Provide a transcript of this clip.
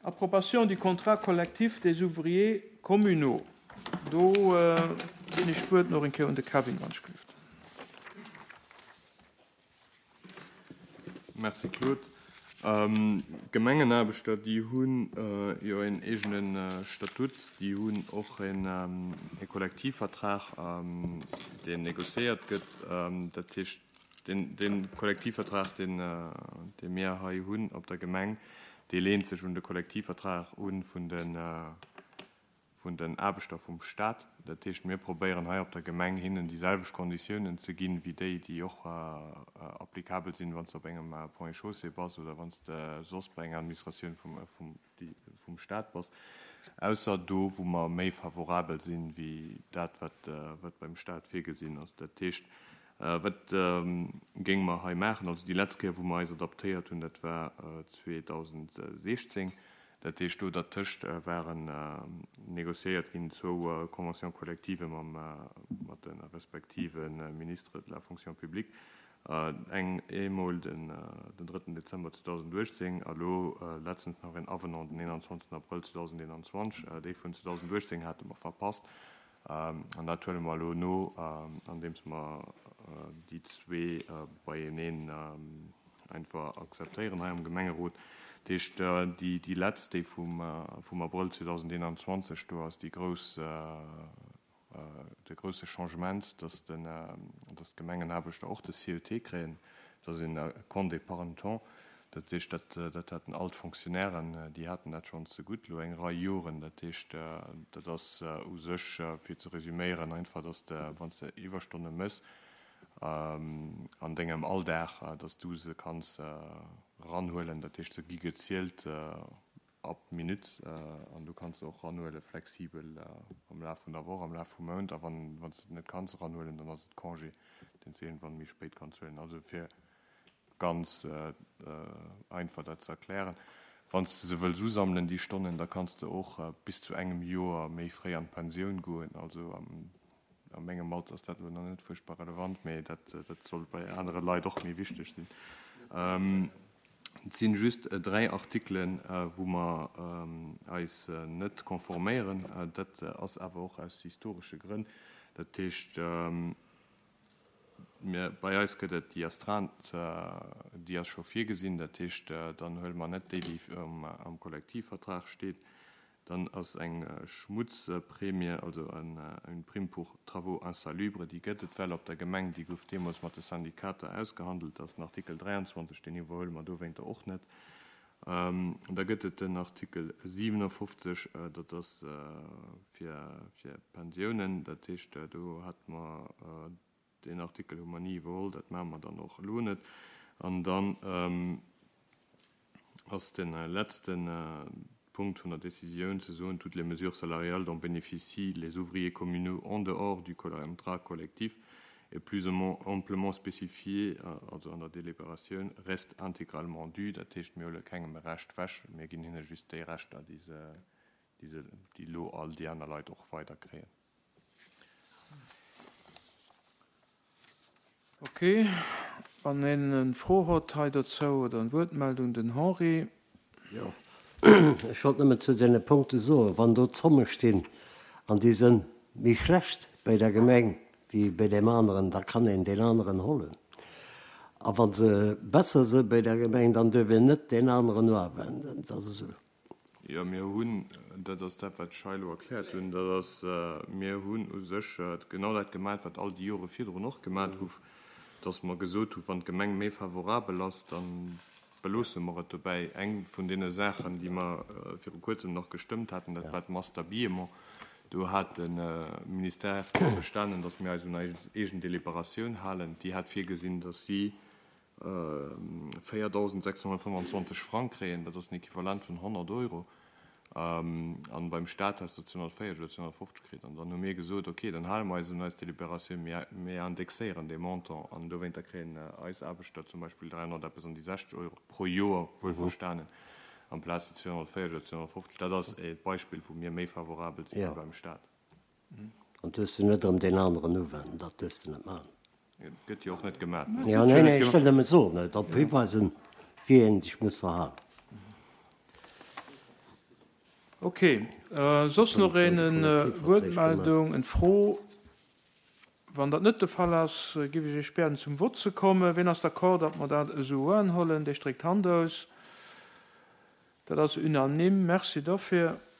Approbation du contrat collectif des ouvriers communaux. Do ginn ech d'Wuert nach eng Kéier un de Kevin, wann ech gelift. Merci Claude. D'Gemengenaarbechter, déi hu jo een eegene Statut, déi hunn och e Kollektivvertrag, deen négociéiert gëtt. Dat heescht, dee Kollektivvertrag, dee mir hei hunn op der Gemeng, dee leent sech un de Kollektivvertrag u vun de vun den Aarbechter vum Stat. Dat heescht, mir probéieren hei op der Gemeng, hinnen déi selwecht Konditiounen ze ginn, wéi déi, déi och applicabel sinn, wann s de op engem Ponts et Chaussées bass oder wann s de soss bei enger Administratioun vum Stat bass, ausser do, wou mer méi favorabel sinn, wéi dat, wat beim Stat virgesinn ass. Dat heescht, wat géinge mer hei maachen? Also déi letzt Kéier, wou mer eis adaptéiert hunn, dat war 2016. Dat heescht, do dertëscht waren négociéiert ginn zwou Conventions collectives mam, mat de respektive Ministres de la Fonction publique, eng eemol den drëtten Dezember 2018 a lo letztens nach een Avenant den 21 Abrëll 2021. Déi vun 2018 hate mer verpasst an dat huele mer elo no, andeems mer déi zwee beieneen einfach akzeptéieren hei am Gemengerot. Dat heescht, déi letzt, déi vum Abrëll 2021, do ass déi grouss, de grousse Changement, dass d'Gemengenaarbechter och de CET kréien, dat ass een Compte d'épargne temps. Dat heescht, dat haten all d'Fonctionnairen, déi haten dat schonn zegutt elo eng Rei Joren. Dat heescht, dat ass u sech, fir ze resüméieren, einfach, dass de, wann s de Iwwerstonne méchs, an dengem Alldag, dass du se kanns eranhuelen, dat heescht se gi gezielt ab Minutt an du kanns se och eranhuele flexibel am Laf vun der Woch, am Laf vum Mount a wann s de et net kanns eranhuelen, dann ass et Congé, deen s de iergendwann méi spéit kanns huelen. Also fir ganz einfach dat ze erklären, wann s de se wëlls usammelen déi Stonnen, da kanns de och bis zu engem Joer méi fréi an d'Pensioun goen, also am A mengem Alter ass dat elo nach net fuerchtbar relevant, mee dat soll bei anere Leit och méi wichteg sinn. Et si just 3 Artikelen, wou mer eis net konforméieren. Dat ass awer och aus historesche Grënn. Dat heescht, mir, bei eis gëtt et déi Astreinte, déi ass scho virgesinn. Dat heescht, dann huele mer net déi, déi am Kollektivvertrag steet. Dann ass eng Schmutzprämie, also une prime pour travaux insalubres, déi gëtt et well op der Gemeng, déi gouf deemools mat de Syndikater ausgehandelt. Dat ass den Artikel 23, deen iwwerhuele mer dowéinter och net. Da gëtt et den Artikel 57, dat ass fir Pensiounen. Dat heescht, do hate mer, deen Artikel hu mer ni iwwerholl, dat maache mer dann och elo net. An dann ass de letzte Punkt vun der Décisioun ze soen, toutes les mesures salariales dont bénéficient les ouvriers communaux en dehors du contrat collectif et plus ou moins amplement spécifiées, also an der Délibératioun, restent intégralement dues. Dat heescht, mir huele kengem e Recht wech, mir ginn hinne just déi Rechter, déi se, déi se, déi elo all déi aner Leit och weider kréien. Ok, wann een en Fro hott hei dozou oder en Wuertmeldung, den Henri. Jo, ech wollt nëmmen zu deene Punkte soen, wann do Zomme stinn an déi sënn méi schlecht bei der Gemeng wéi bei deem aneren, da kann een deen aneren hollen. A wa se besser së bei der Gemeng, dann duerf een net deen aneren uawenden. Dat ass esou. Jo, mir hunn, dat ass dat, wat ech hei elo erkläert hunn, dat ass, mir hunn u sech genau dat gemat, wat all déi Jore virdrun och gemat gouf, dass mer gesot hunn, wann d'Gemeng méi favorabel ass, da beloosse mer et dobäi. Eng vun deene Saachen, déi mer viru Kuerzem nach gestëmmt haten, dat war d'Masse d'habillement. Do hat de Ministère drop bestanen, dass mir eis un eis eegen Deliberatioun halen. Déi hat virgesinn, dass si 4.625 Frang kréien, dat ass en Equivalent vun 100 Euro, an beim Staat häss de 240 oder 250 kritt. An dann hu mir gesot, okay, dann hale mer eis un eis Deliberatioun, mir mir indexéieren dee Montant an dowéinter kréien eis Aarbechter zum Beispill 300 eppes an déi 60 Euro pro Joer, wuelverstanen, amplaz déi 240 oder 250. Dat ass e Beispill, wou mir méi favorabel si wéi beim Staat. An duerfs de net erëm deen aneren uwenden, dat duerfs de net maachen. Gëtt jo och net gemat. Jo, nee, nee, ech wëll nëmme soen, drop hiweisen, wéi ee sech muss verhalen. Ok. Soss nach een en Wuertmeldung, en Fro? Wann dat net de Fall ass, giff ech Iech bieden zum Vott ze kommen. Ween ass d'accord, datt mer dat esou uanhollen? Dee stréckt d'Hand aus. Dat ass unanime. Merci dofir.